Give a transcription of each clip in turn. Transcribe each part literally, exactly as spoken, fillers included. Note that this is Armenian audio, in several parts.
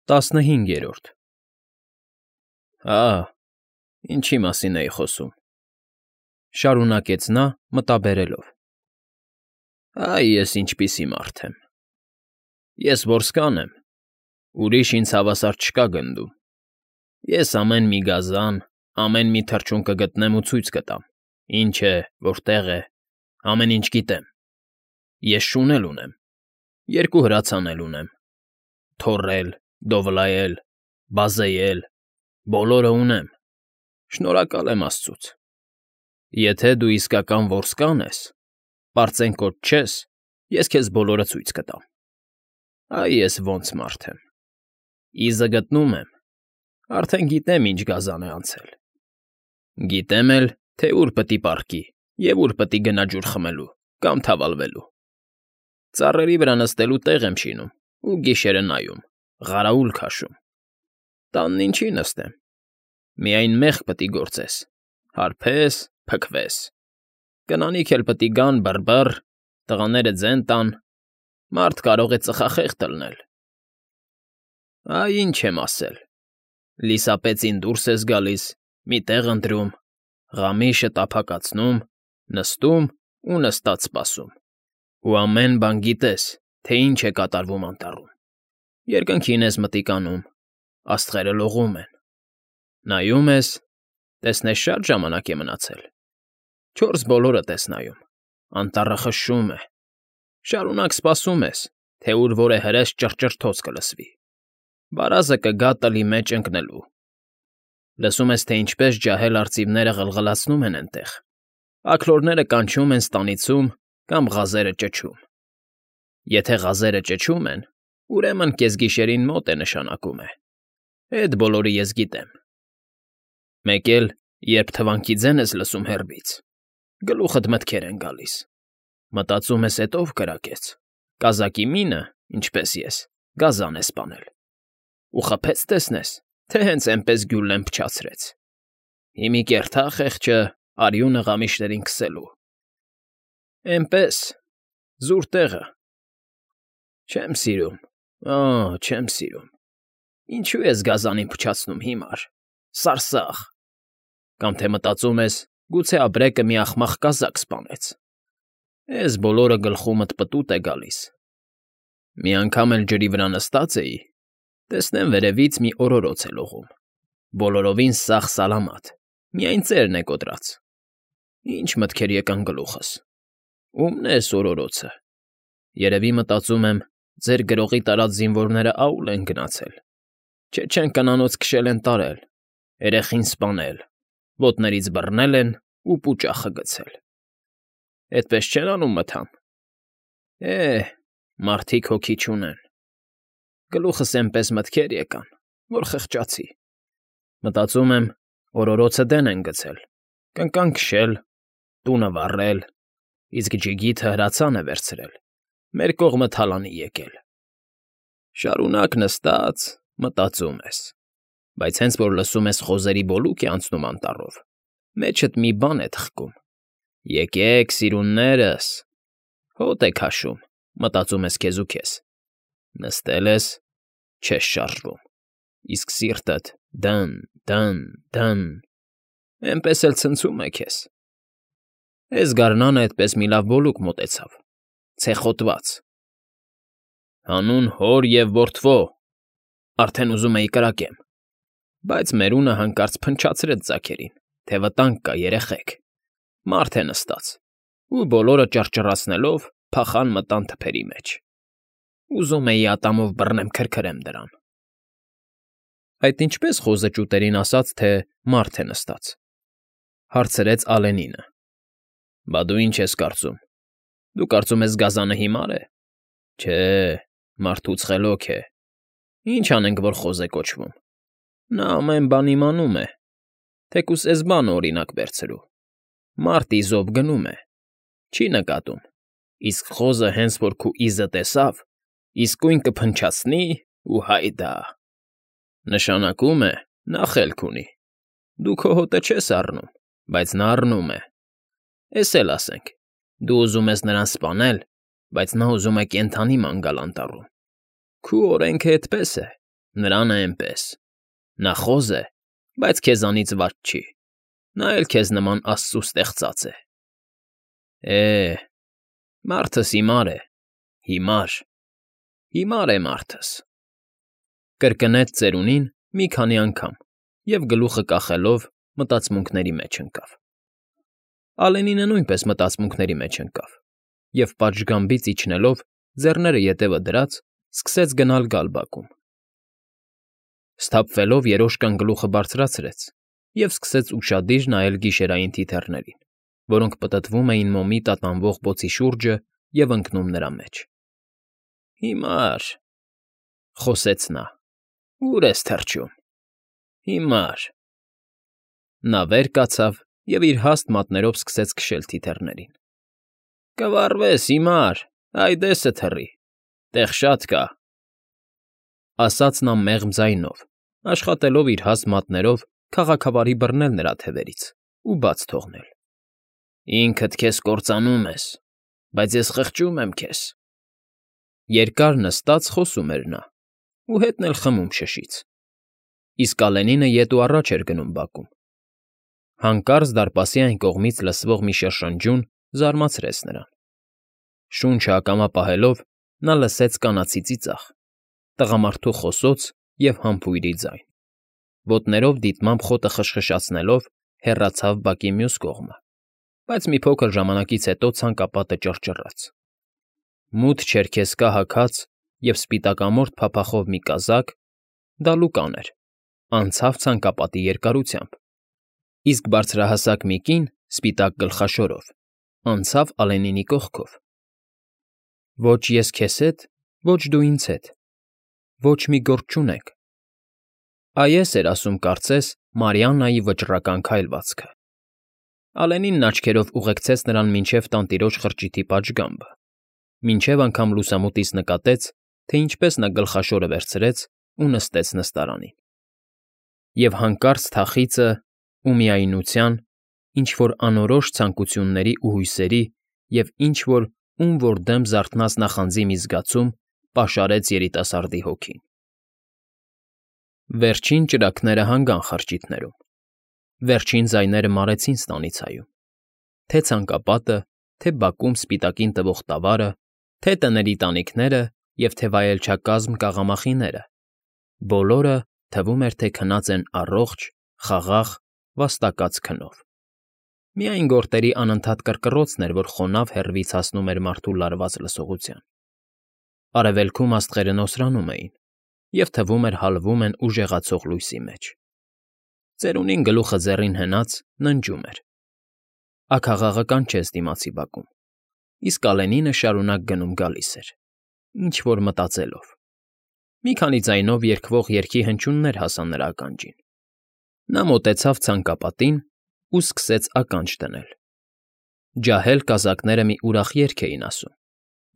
ՏԱՍՆՀԻՆԳԵՐՈՐԴ Հա, ինչի մասին էի խոսում,֊ շարունակեց նա՝ մտաբերելով։ Այ ես ինչպիսի մարդ եմ… Ես որսկան եմ, ուրիշ ինձ հավասար չկա գնդում, ես ամեն մի գազան, ամեն մի թռչուն կգտնեմ ու ցույց կտամ, ինչ է, որտեղ է, ամեն ինչ գիտեմ, ես շուն էլ ունեմ, երկու հրացան էլ ունեմ, թոռել, դովլայել, բազեյել, բոլորը ունեմ, շնորհակալ եմ աստծուց, եթե դու իսկական որսկան ես, պարծենկոտ չես, ես քեզ բոլորը ցույց կտամ, այ ես ոնց մարդ եմ, իզը գտնում եմ, արդեն գիտեմ ինչ գազան է անցել, գիտեմ էլ, թե ուր պտի պառկի և ուր պտի գնա ջուր խմելու կամ թավալվելու, ծառերի վրա նստելու տեղ եմ շինում ու գիշերը նայում, ղարաուլ քաշում, տանն ինչի նստեմ, միայն մեղք պտի գործես, հարբես, փքվես, կնանիք էլ պտի գան բռ֊բռ, տղաները ձեն տան, մարդ կարող է ծխախեղդ ըլնել, այ ինչ եմ ասել, լիսապեցին դուրս ես գալիս, մի տեղ ընտրում, ղամիշը տափակացնում, նստում ու նստած սպասում, ու ամեն բան գիտես, թե ինչ է կատարվում անտառում, երկնքին ես մտիկ անում, աստղերը լողում են, նայում ես, տեսնես շատ ժամանակ է մնացել, չորս բոլորդ ես նայում, անտառը խշշում է, շարունակ սպասում ես, թե ուր որ է հրես ճռճռթոց կլսվի, վարազը կգա տլի մեջ ընկնելու, լսում ես, թե ինչպես ջահել արծիվները ղլղլացնում են էնտեղ, աքլորները կանչում են ստանիցում կամ ղազերը ճչում, եթե ղազերը ճչում են, ուրեմն կեսգիշերին մոտ է նշանակում է, էդ բոլորը ես գիտեմ, մեկ էլ, երբ թվանքի ձեն ես լսում հեռվից, գլուխդ մտքեր են գալիս, մտածում ես էդ ով կրակեց, կազակի մինը, ինչպես ես, գազան է սպանել, ու խփեց տեսնես, թե հենց էնպես գյուլեն փչացրեց, հիմի կերթա խեղճը արյունը ղամիշներին քսելու, էնպես, զուր տեղը, չեմ սիրում, օ, չեմ սիրում, ինչու ես գազանին փչացնում հիմար, սարսաղ, կամ թե մտածում ես, գուցե ապրեկը մի ախմախ կազակ սպանեց, ես բոլորը գլխումդ պտուտ է գալիս, մի անգամ էլ ջրի վրա նստած էի, տեսնեմ վերևից մի օրորոց է լողում, բոլորովին սաղ սալամաթ, միայն ծերն է կոտրած, ինչ մտքեր եկան գլուխս, ո՞ւմն է էս օրորոցը, երևի մտածում եմ, ձեր գրողի տարած զինվորները աուլ են գնացել, չէ չեն կանանոց քշել են տարել, երեխին սպանել, ոտներից բռնել են ու պուճախը գցել, էդպես չեն անում մթան, է, մարդիկ հոգի չունեն, գլուխս էնպես մտքեր եկան, որ խղճացի, մտածում եմ, օրորոցը դեն են գցել, կնկան քշել, տունը վառել, իսկ ջիգիթը հրացան է վերցրել, մեր կողմը թալանի եկել, շարունակ նստած, մտածում ես, բայց հենց որ լսում ես խոզերի բոլուկ է անցնում անտառով, մեջդ մի բան է թխկում, եկեք, սիրուններս, հոտ է քաշում, մտածում ես քեզ ու քեզ, նստել ես, չես շարժվում, իսկ սիրտդ դն, դն, դն, էնպես էլ ցնցում է քեզ, էս գարնանը էդպես մի լավ բոլուկ մոտեցավ, ցեխոտված, հանուն հոր և որդվո, արդեն ուզում էի կրակեմ, բայց մերունը հանկարծ փնչացրեց ձագերին, թե վտանգ կա երեխեք, մարդ է նստած, ու բոլորը ճռճռացնելով փախան մտան թփերի մեջ, ուզում էի ատամով բռնեմ քրքրեմ դրան, այդ ինչպես խոզը ճուտերին ասաց, թե մարդ է նստած, հարցրեց Ալենինը, բա դու ինչ ես կարծում, դու կարծում ես գազանը հիմար է, չէ, մարդուց խելոք է, ինչ անենք, որ խոզ է կոչվում, նա ամեն բան իմանում է, թեկուզ էս բանը օրինակ վերցրու, մարդ իզով գնում է, չի նկատում, իսկ խոզը հենց որ քու իզը տեսավ, իսկույն կփնչացնի ու հայդա, նշանակում է, նա խելք ունի, դու քո հոտը չես առնում, բայց նա առնում է, էս էլ ասենք, դու ուզում ես նրան սպանել, բայց նա ուզում է կենդանի ման գալ անտառում, քու օրենքը էդպես է, Նրան է էնպես։ Նա խոզ է, բայց քեզանից վատ չի, նա էլ քեզ նման աստծու ստեղծած է։ Է, մարդս հիմար է, հիմար, հիմար է մարդս,֊ կրկնեց ծերունին մի քանի անգամ և գլուխը կախելով մտածմունքների մեջ ընկավ։ Ալենինը նույնպես մտածմունքների մեջ ընկավ և պատշգամբից իջնելով, ձեռները ետևը դրած, սկսեց գնալ գալ բակում։ Սթափվելով երոշկան գլուխը բարձրացրեց և սկսեց ուշադիր նայել գիշերային թիթեռներին, որոնք պտտվում էին մոմի տատանվող բոցի շուրջը և ընկնում նրա մեջ։ Հիմա՜ր,֊ խոսեց նա,֊ ո՞ւր ես թռչում, հիմա՜ր… Նա վեր կացավ և իր հաստ մատներով սկսեց քշել թիթեռներին։ Կվառվես, հիմա՜ր, այ դեսը թռի, տեղ շատ կա,֊ ասաց նա մեղմ ձայնով, աշխատելով իր հաստ մատներով քաղաքավարի բռնել նրա թևերից ու բաց թողնել։ Ինքդ քեզ կործանում ես, բայց ես խղճում եմ քեզ… Երկար նստած խոսում էր նա ու հետն էլ խմում շշից, իսկ Ալենինը ետ ու առաջ էր գնում բակում։ Հանկարծ դարպասի այն կողմից լսվող մի շրշնջյուն զարմացրեց նրան։ Շունչը ակամա պահելով՝ նա լսեց կանացի ծիծաղ, տղամարդու խոսոց և համբույրի ձայն։ Ոտներով դիտմամբ խոտը խշխշացնելով՝ հեռացավ բակի մյուս կողմը, բայց մի փոքր ժամանակից հետո ցանկապատը ճռճռաց։ Մութ չերքեզկա հագած և սպիտակամորթ փափախով մի կազակ (դա Լուկան էր) անցավ ցանկապատի երկարությամբ, իսկ բարձրահասակ մի կին սպիտակ գլխաշորով անցավ Ալենինի կողքով։ Ոչ ես քեզ հետ, ոչ դու ինձ հետ, ոչ մի գործ չունենք, այ էս էր ասում կարծես Մարիաննայի վճռական քայլվածքը։ Ալենինն աչքերով ուղեկցեց նրան մինչև տանտիրոջ խրճիթի պատշգամբը, մինչև անգամ լուսամուտից նկատեց, թե ինչպես նա գլխաշորը վերցրեց ու նստեց նստարանին։ Եվ հանկարծ թախիծը ու միայնության, ինչ֊որ անորոշ ցանկությունների ու հույսերի և ինչ֊որ ում որ դեմ զարթնած նախանձի մի զգացում պաշարեց երիտասարդի հոգին։ Վերջին ճրագները հանգան խրճիթներում, վերջին ձայները մարեցին ստանիցայում, թե՛ ցանկապատը, թե՛ բակում սպիտակին տվող տավարը, թե՛ տների տանիքները և թե՛ վայելչակազմ կաղամախիները, բոլորը, թվում էր, թե քնած են առողջ, խաղաղ, վաստակած քնով։ Միայն գորտերի անընդհատ կռկռոցն էր, որ խոնավ հեռվից հասնում էր մարդու լարված լսողության։ Արևելքում աստղերը նոսրանում էին և, թվում էր, հալվում են ուժեղացող լույսի մեջ։ Ծերունին գլուխը ձեռին հենած ննջում էր։ Աքաղաղը կանչեց դիմացի բակում, իսկ Ալենինը շարունակ գնում֊գալիս էր, ինչ֊որ մտածելով։ Մի քանի ձայնով երգվող երգի հնչյուններ հասան նրա ականջին։ Նա մոտեցավ ցանկապատին ու սկսեց ականջ դնել։ Ջահել կազակները մի ուրախ երգ էին ասում,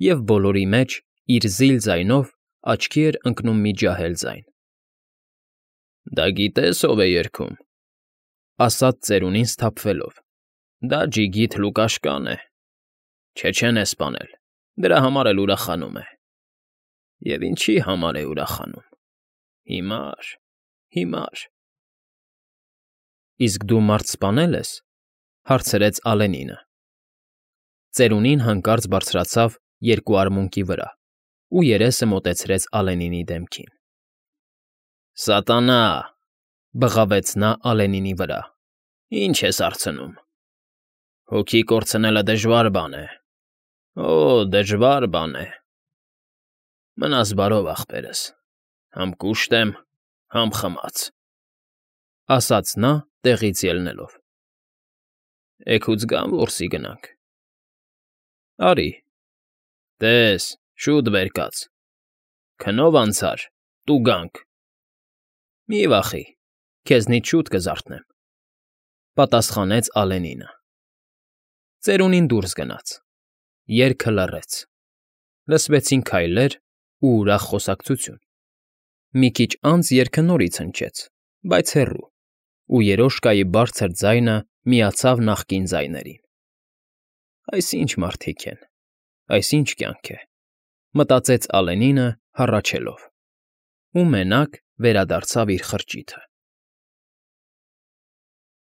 և բոլորի մեջ, իր զիլ ձայնով, աչքի էր ընկնում մի ջահել ձայն։ ֊ Դա գիտե՞ս ով է երգում,֊ ասաց ծերունին սթափվելով։֊ Դա ջիգիթ Լուկաշկան է, չէ, չեն է սպանել, դրա համար էլ ուրախանում է։ Եվ ինչի՞ համար է ուրախանում… հիմար, հիմար… Իսկ դու մարդ սպանե՞լ ես,֊ հարցրեց Ալենինը։ Ծերունին հանկարծ բարձրացավ երկու արմունկի վրա ու երեսը մոտեցրեց Ալենինի դեմքին։ ֊ Սատանա՜,֊ բղավեց նա Ալենինի վրա,֊ ի՞նչ ես հարցնում… Հոգի կորցնելը դժվար բան է, օ, դժվար բան է… Մնաս բարով, ախպերս, համ կուշտ եմ, համ խմած,֊ ասաց նա տեղից ելնելով։ ֊ Էգուց գա՞մ որսի գնանք։ ֊ Արի։ Տես, շուտ վեր կաց, քնով անցար, տուգանք։ ֊ Մի վախի, քեզնից շուտ կզարթնեմ,֊ պատասխանեց Ալենինը։ Ծերունին դուրս գնաց։ Երգը լռեց։ Լսվեցին քայլեր ու ուրախ խոսակցություն։ Մի քիչ անց երգը նորից հնչեց, բայց հեռու, ու երոշկայի բարձր ձայնը միացավ նախկին ձայներին։ «Այս ի՞նչ մարդիկ են, այս ի՞նչ կյանք է,֊ մտածեց Ալենինը՝ հառաչելով։ Ու մենակ, Վերադարձավ իր խրճիթը։